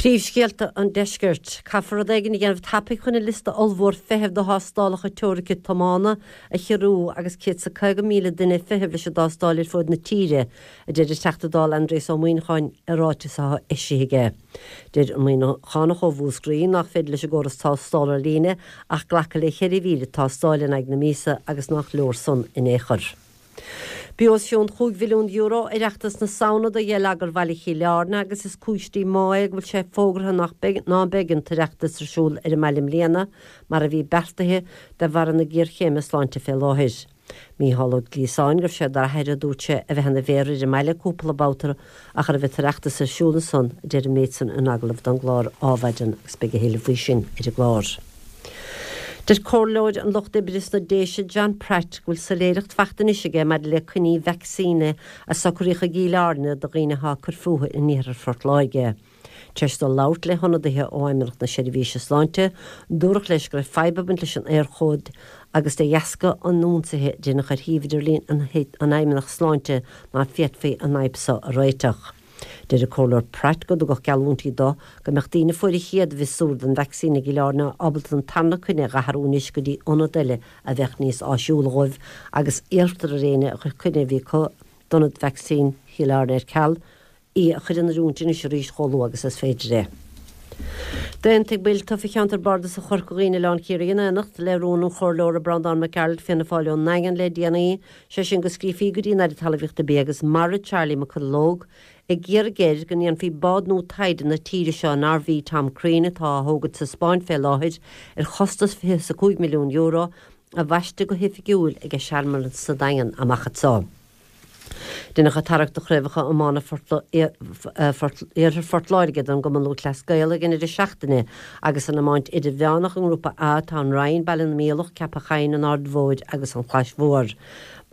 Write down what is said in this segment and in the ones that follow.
Príomhscéalta an Deiscirt. Caithfear rud éigin a dhéanamh tapaidh chun an liosta ollmhór feithimh do thástálacha teoirice tiomána a chiorrú agus 150,000 duine ag feitheamh leis an dtástáil ar fuaid na tíre, a deir an Teachta Dála Aindrias Ó Muíneacháin i ráiteas atá eisithe aige. Deir an Muíneachánach ó Mhúscraí nach féidir leis an gcóras tástála ar líne ach glacadh le 4,000 tástáil in aghaidh na míosa agus nach leor san in aon chor. Bhí os cionn €5 mhilliún Oireachtas na Samhna do gheilleagar bhaile Chill Airne agus is cúis díomá é go bhfuil sé fógartha nach beidh ná beidh an tOireachtas ar siúl ar an mbaile i mbliana mar a bhí beartaithe de bharra na géarchéime sláinte fé láthair. Mícheál Ó Gliasáin go raibh sé d'athair air a dúirt sé a bheith ina mhéara ar an mbaile cúpla babhta ach a raibh an tOireachtas ar siúl ansan a deir an méid san in agallamh don gclár Ádhmhaidin agus beidh a thuilleadh faoi sin ar an gclár. Deir Comhairleoir an Lucht Oibre sna Déise John Pratt go bhfuil soiléireacht fachta anois aige maidir le coinní vacsaíne a socraíodh i gCill Airne do dhaoine atá ag cur fúthu in iarthar Phort Láirge. Tar éis dó labhairt le hionadaithe ó Fheidhmeannacht na Seirbhíse Sláinte, dúradh leis go raibh fadhb ag baint leis an Éirchód agus de dheasca an ionsaithe a deineadh ar shuíomh idirlín an Fheidhmeannacht Sláinte ná féadfaí an fhadhb so a réiteach. Deir an Comhairleoir Pratt go dtugadh geallúintí dó go mbeadh daoine a fuair an chéad mhiosúr den vacsaín i gCill Airne ábalta an tarna coinne a dh'athrú anois go dtí ionad eile a bheadh níos áisiúla dhóibh agus iarrtar ar éinne a chuir coinne a bhí acu d'ionad vacsaín Chill Airne ar ceal í a chur in oiriúint anois arís chomh luath agus is féidir é. D'aontaigh baill tofa Cheantar Bardasach Chorca Dhuibhne Oileán Ciarraí in éineacht le rún an Chomhairleora Breandán Mac Gearailt Fianna Fáil ón nDaingean le déanaí, sé sin go scríofaí go dtí an Aire Talmhaíochta Bia agus Mara Charlie McConalogue ag iarraidh air go ndéanfaí bád nua taighde na tíre seo an RV Tom Crean atá á thógaint sa Spáinn fé láthair ar chostas €25 milliún a bhaisteadh go hoifigiúil ag searmanas sa Daingean amach anseo. Deineadh an tarrac do chraobhacha iomána Iarthar Phort Láirge don gCumann Lúthchleas Gael ag an deireadh seachtaine agus san iomáint idirmheánach i nGrúpa A tá an Rinn, Baile na Míolach, Ceapach Choinn, an Aird Mhóir agus an Chlais Mhór.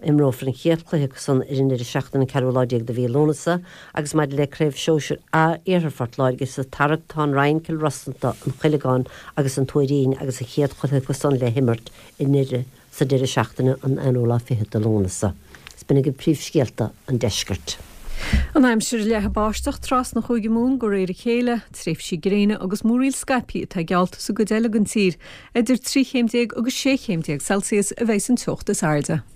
Imreofar an chéad chluiche acu san ar an deireadh seachtaine an ceathrú lá déag de mhí Lúnasa agus maidir le Craobh Shóisir A Iarthar Phort Láirge sa tarrac tá an Rinn, Cill Rosanta, An Cuilceán agus an Tuairín agus an chéad chluiche acu san le himirt i nDoire sa deireadh seachtaine an aonú lá fichead de Lúnasa. Is b'in agaibh príomhscéalta an deiscirt. An aimsir, Leathfaidh báisteach trasna Chúige Mumhan de réir a chéile. Tréimhsí gréine agus múraíl scaipthe atá geallta sa gcuid eile den tír. Idir 13 chéim agus 16 chéim Celsius a bheidh an teocht is airde.